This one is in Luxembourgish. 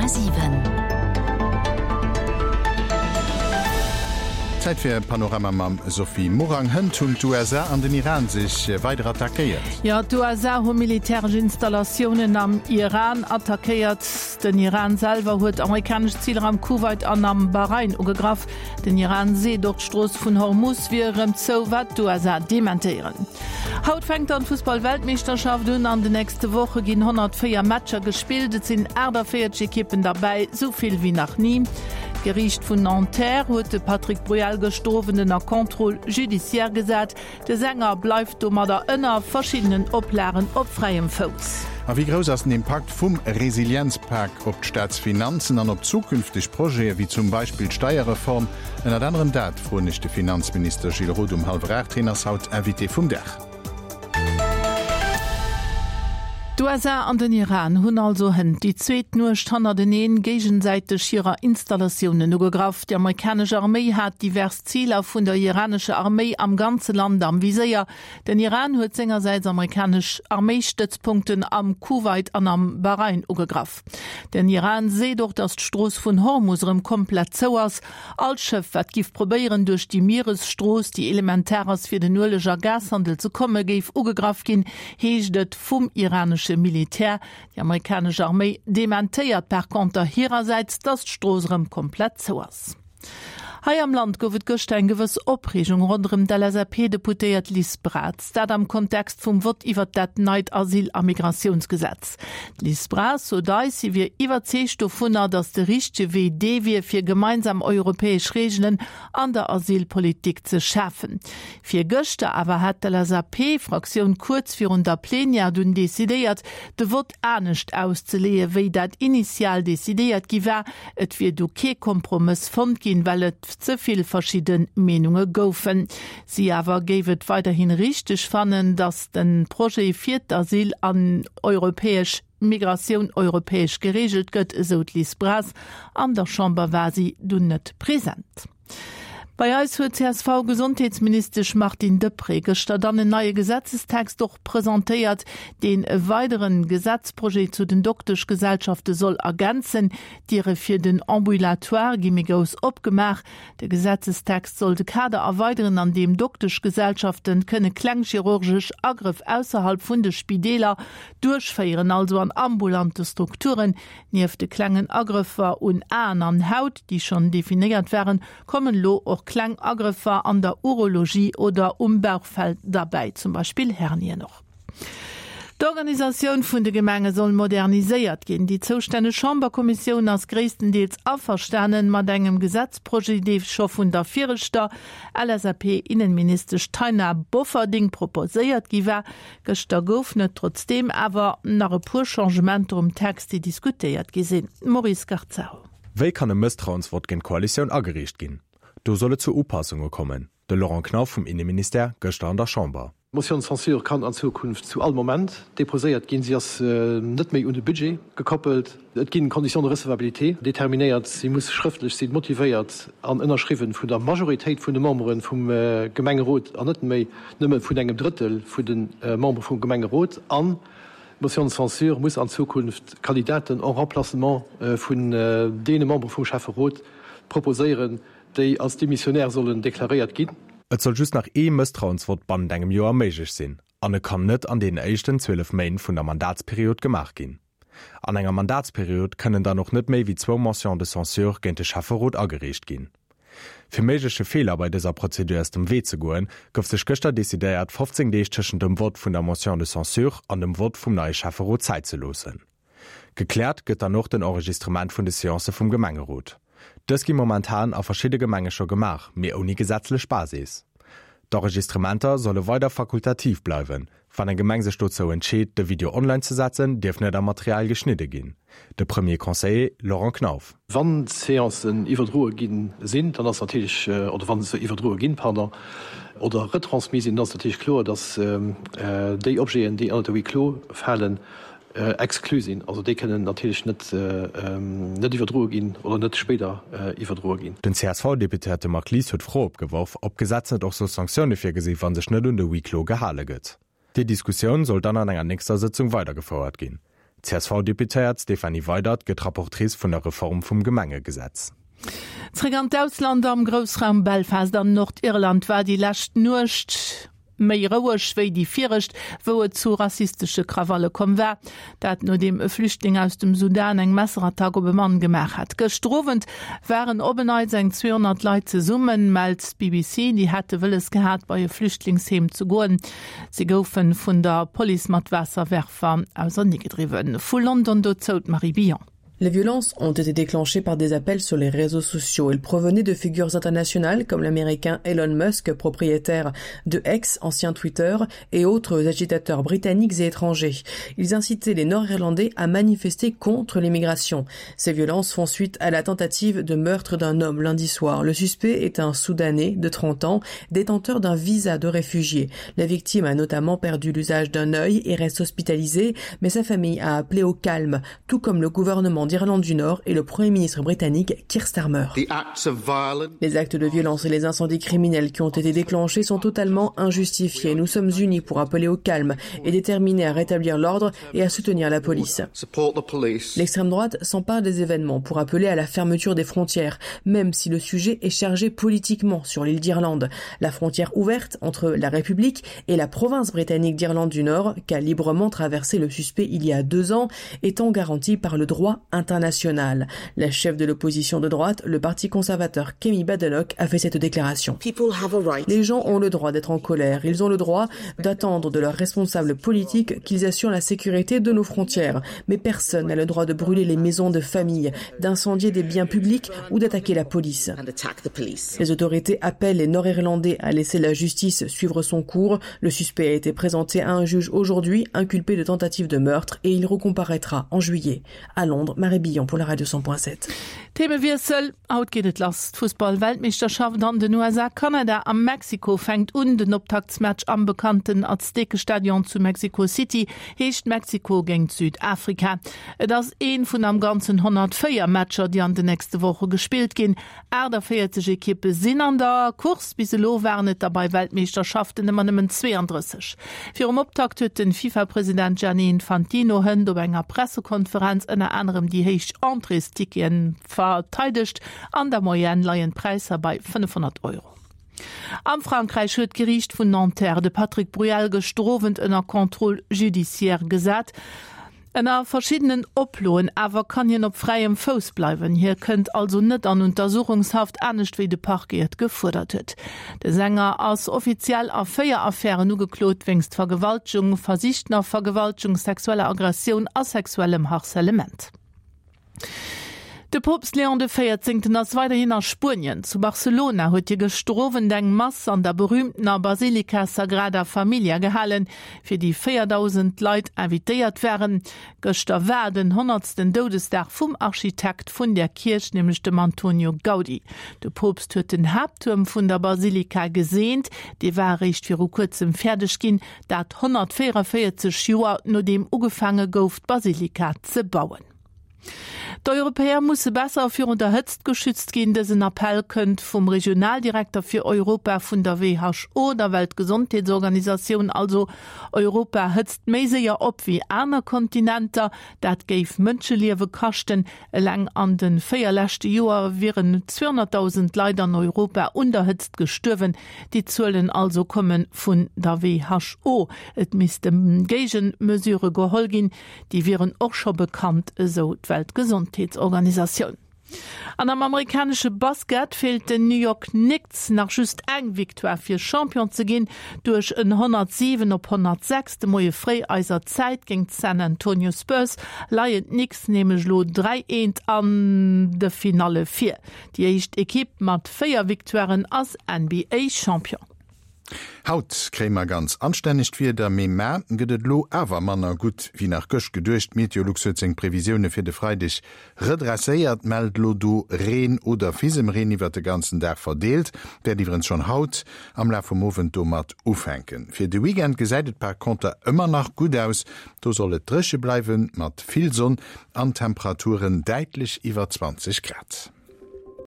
100,7. Zäit fir e Panorama mam Sophie Morang. Hënt hunn d'USA an den Iran sech weider attackéiert. Jo, d'USA hu militäresch Installatiounen am Iran attackéiert. Den Iran selwer huet amerikanesch Ziler am Kuwait an am Bahrain ugegraff. Den Iran seet och, d'Strooss vun Hormuz wier erëm zou, wat d'USA dementéieren. Haut fänkt dann d'Fussball-Weltmeeschterschaft un. An den nächste Woche ginn 104 Matcher gespillt. Et sinn 48 Ekippen derbäi, sou vill wéi nach ni. D'Geriicht vun Nanterre huet de Patrick Bruel gëschter Owend ënner Contrôle judiciaire gesat. De Sänger bleift domadder ënner verschiddenen Oplagen op fräiem Fouss. A wéi grouss ass den Impakt vum Resilienzpak op d'Staatsfinanzen an op zukünfteg Projete wéi zum Beispill d'Steierreform? Ënnert anerem dat froen ech de Finanzminister Gilles Roth um hallwer 8. Hien ass haut Invité vum Dag. D'USA an den Iran hunn also hënt déi zweet Nuecht hannerteneen géigesäiteg hirer Installatiounen ugegraff. Déi amerikanesch Arméi hat divers Ziler vun der iranescher Arméi am ganze Land am Viséier. Den Iran huet sengersäits amerikanesch Arméistëtzpunkten am Kuwait an am Bahrain ugegraff. Den Iran seet och, datt d'Strooss vun Hormus erëm komplett zou ass. All Schëff, wat giff probéieren, duerch déi Mieresstrooss, déi elementar ass fir den Ueleg a Gashandel ze kommen, géif ugegraff ginn, heescht et vum iranesche Militär. Déi amerikanesch Arméi dementéiert par conter hirersäits, datt d'Strooss erëm komplett zou ass. Hei am Land gouf et gëschter eng gewëss Opreegung ronderëm d'LSAP-Deputéiert Liz Braz. Dat am Kontext vum Vott iwwert dat neit Asyl a Migratiounsgesetz. D'Liz Braz sot eis, si wier iwwerzeegt dovunner, datt de richtege Wee dee wier, fir gemeinsam europäesch Reegelen an der Asylpolitik ze schafen. Virgëschter awer hat d'LSAP-Fraktioun kuerz virun der Plenière dunn decidéiert, de Vott anescht auszeleeë wéi dat initial decidéiert gi war. Et wier du kee Kompromëss fonnt ginn, well et ze vill verschidde Meenunge goufen. Si awer géif et weiderhi richteg fannen, datt de Projet fir d'Asyl an europäesch Migratioun europäesch gereegelt gëtt, esou d'Liz Braz. An der Chamber war si dunn net present. Bei eis huet d'CSV-Gesondheetsministesch Martine Deprez gëschter dann en neie Gesetzestext och presentéiert, deen e weideren Gesetzprojet zu den Dokteschgesellschafte soll ergänzen. D'Diere fir den Ambulatoire gi méi grouss opgemaach. De Gesetzestext soll de Kader erweideren, an deem Dokteschgesellschaften kënne kleng chirurgesch Agrëff ausserhalb vun de Spideeler duerchféieren, also an ambulante Strukturen. Nieft de klengen Agrëffer un Aen an Haut, déi schonn definéiert waren, kommen elo och kleng Agrëffer an der Urologie oder um Bauchfell derbäi, zum Beispill Hernien och. D'Organisatioun vun de Gemenge soll moderniséiert ginn. Déi zoustänneg Chamberkommissioun ass gréisstendeels averstanen mat engem Gesetzprojet, dee scho vun der viregter LSAP-Innenministesch Taina Bofferding proposéiert gi war. Gëschter goufen et trotzdeem awer nach e puer Changementer um Text, déi diskutéiert gi sinn. Maurice Garzaro. Wéi kann e Mësstrauensvott géint d'Koalitioun agereecht ginn? Do soll et zu Upassunge kommen. De Laurent Knauf vum Inneministère gëschter an der Chamber. D'Motion de censure kann an Zukunft zu all Moment deposéiert ginn. Si ass net méi un de Budget gekoppelt. Et ginn Conditions de recevabilité determinéiert. Si muss schrëftlech sinn, motivéiert an ënnerschriwwen vun der Majoritéit vun de Membere vum Gemengerot an net méi nëmme vun engem Drëttel vun de Membere vum Gemengerot. An d'Motion de censure muss an Zukunft Kandidaten en remplacement vun deene Membere vum Schäfferot proposéieren, déi als démissionnaire sollen deklaréiert ginn. Et soll just nach ee Mësstrauensvott bannent engem Joer méiglech sinn an e kann net an deenen éischten 12 Méint vun der Mandatsperiod gemaach ginn. An enger Mandatsperiod kënnen dann och net méi wéi zwou Motions de censure géint de Schäfferot agereecht ginn. Fir méigleche Feeler bei dëser Prozedur aus dem Wee ze goen, gouf sech gëschter decidéiert, 15 Deeg tëschent dem Vott vun der Motion de censure an dem Vott vum neie Schäfferot Zäit ze loossen. Gekläert gëtt dann och den Enregistrement vun de Seancë vum Gemengerot. Dës gi momentan a verschidde Gemenge scho gemaach, mee ouni gesetzlech Basis. D'Enregistrementer solle weider fakultativ bleiwen. Wann eng Gemeng sech dozou entscheet, de Video online ze setzen, dierf net am Material geschnidde ginn. De Premier Conseiller Laurent Knauf. Wann d'Seancen iwwerdroe gi sinn, dann ass natierlech, oder wa se iwwerdroe ginn, pardon, oder retransmis sinn, dann ass natierlech kloer, datt déi Objeten, déi ënnert de Huis clos falen, exclu sinn. Also déi kënnen natierlech net net iwwerdroe ginn oder net spéider iwwerdroe ginn. Den CSV-Deputéierte Marc Lies huet d'Fro opgeworf, ob d'Gesetz net och soll Sanktioune virgesi wa sech net un de Huis clos gehale gëtt. Déi Diskussioun soll dann an enger nächster Sëtzung weidergefouert ginn. D'CSV-Deputéiert Stéphanie Weydert gëtt Rapportrice vun der Reform vum Gemengegesetz. Zréck an d'Ausland, Am Groussraum Belfast an Nordirland war déi lescht Nuecht méi roueg wéi déi viregt, wou et zu rassistesche Krawalle komm war. Dat nodeem e Flüchtling aus dem Sudan eng Messerattack op e Mann gemaach hat. Gëschter Owend waren op en Neits eng 200 Leit zesummen, mellt d'BBC. Déi hätte wëlles gehat, bei e Flüchtlingsheem ze goen. Si goufe vun der Police mat Waasserwerfer auserneegedriwwen. Vu London dozou d'Marie Billon. Les violences ont été déclenchées par des appels sur les réseaux sociaux. Ils provenaient de figures internationales comme l'américain Elon Musk, propriétaire de X, ancien Twitter, et autres agitateurs britanniques et étrangers. Ils incitaient les Nord-Irlandais à manifester contre l'immigration. Ces violences font suite à la tentative de meurtre d'un homme lundi soir. Le suspect est un Soudanais de 30 ans, détenteur d'un visa de réfugié. La victime a notamment perdu l'usage d'un œil et reste hospitalisée, mais sa famille a appelé au calme, tout comme le gouvernement d'Irlande du Nord et le Premier ministre britannique Keir Starmer. Les actes de violence et les incendies criminels qui ont été déclenchés sont totalement injustifiés. Nous sommes unis pour appeler au calme et déterminés à rétablir l'ordre et à soutenir la police. L'extrême droite s'empare des événements pour appeler à la fermeture des frontières, même si le sujet est chargé politiquement sur l'île d'Irlande. La frontière ouverte entre la République et la province britannique d'Irlande du Nord, qu'a librement traversé le suspect il y a deux ans, étant garantie par le droit international. La chef de l'opposition de droite, le parti conservateur Kemi Badenoch, a fait cette déclaration. Les gens ont le droit d'être en colère. Ils ont le droit d'attendre de leurs responsables politiques qu'ils assurent la sécurité de nos frontières. Mais personne n'a le droit de brûler les maisons de famille, d'incendier des biens publics ou d'attaquer la police. Les autorités appellent les Nord-Irlandais à laisser la justice suivre son cours. Le suspect a été présenté à un juge aujourd'hui, inculpé de tentative de meurtre, et il recomparaîtra en juillet. À Londres, Marie Billon pour la radio 100.7. Themewiessel, Haut geet et lass. D'Fussball-Weltmeeschterschaft an den USA, Kanada a Mexiko fänkt un. Den Optaktsmatch am bekannten Aztekestadion zu Mexico City heescht Mexiko géint Südafrika. Et ass ee vun am Ganzen 104 Matcher, déi an den nächste Woche gespillt ginn. 48 Ekippe sinn an der Course, bis elo waren et der bei Weltmeeschterschaften ëmmer nëmmen 32. Virum Optakt huet de FIFA-President Gianni Infantino hënt op enger Pressekonferenz ënner anerem déi héich Entréesticketen verteidegt. An der Moyenne leien d'Präisser bei 500 Euro. Am Frankräich huet d'Geriicht vun Nanterre de Patrick Bruel gëschter Owend ënner Contrôle judiciaire gesat. Ënner verschiddenen Oploen awer kann hien op fräiem Fouss bleiwen. Hie kënnt also net an Untersuchungshaft, anescht wéi de Parquet et gefuerdert huet. De Sänger ass offiziell a 4 Affären ugeklot, wéinst Vergewaltegung, versichtener Vergewaltegung, sexueller Aggressioun a sexuellem Harcèlement. De Poopst Léon de Véierzéngten ass weiderhin a Spuenien. Zu Barcelona huet hie gëschter Owend eng Mass an der berüümtener Basilika Sagrada Familia gehalen, fir déi 4.000 Leit invitéiert waren. Gëschter war den honnertsten Doudesdag vum Architekt vun där Kierch, nämlech dem Antonio Gaudi. De Poopst huet den Haapttuerm vun der Basilika geseent. Dee war eréischt viru kuerzem fäerdeg ginn, dat 144 Joer nodeem ugefaange gouf d'Basilika ze bauen. D'Europäer musse besser virun der Hëtzt geschützt ginn. Dësen Appell kënnt vum Regionaldirekter fir Europa vun der WHO, der Weltgesondheetsorganisatioun. Also Europa hëtzt méi séier op wéi aner Kontinenter. Dat géif Mënscheliewe kaschten. Eleng an de 4 leschte Joer wieren 200.000 Leit an Europa un der Hëtzt gestuerwen. Déi Zuelen also komme vun der WHO. Et misste Géigemesure geholl ginn. Déi wieren och scho bekannt, esou d'Weltgesondheetsorganisatioun. An am amerikanesche Basket feelt den New York Knicks nach just eng Victoire fir Champion ze ginn. Duerch en 107 op 106 de Moie fréi eiser Zäit géint d'San Antonio Spurs leien d'Knicks nämlech elo 3 eent an de Finalle vir. Déi éischt Ekipp mat 4 Victoiren ass NBA-Champion. Haut kréie mer ganz anstännegt Wieder, mee mar gëtt et elo awer manner gutt wéi nach gëscht geduecht. Meteolux huet seng Previsioune fir de Freideg redresséiert, mellt elo do Reen oder Fisemreen iwwert de ganzen Dag verdeelt. Wäert iwwerens schonn haut am Laf vum Owend domat ufänken. Fir de Weekend gesäit et par conter ëmmer nach gutt aus, do soll et dréche bleiwen, mat vill Sonn an Temperaturen däitlech iwwer 20 Grad.